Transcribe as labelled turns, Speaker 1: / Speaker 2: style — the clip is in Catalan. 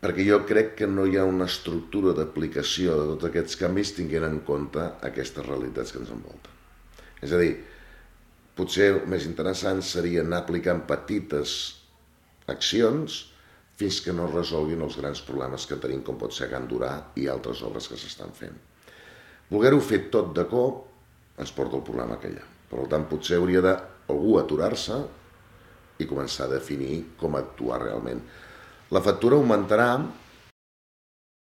Speaker 1: perquè jo crec que no hi ha una estructura d'aplicació de tots aquests canvis tinguent en compte aquestes realitats que ens envolten. És a dir, potser el més interessant seria anar aplicant petites accions fins que no es resolguin els grans problemes que tenim, com pot ser Can Durà i altres obres que s'estan fent. Voler-ho fer tot de cop ens porta el problema que hi ha. Per tant, potser hauria d'algú aturar-se i començar a definir com actuar realment. La factura augmentarà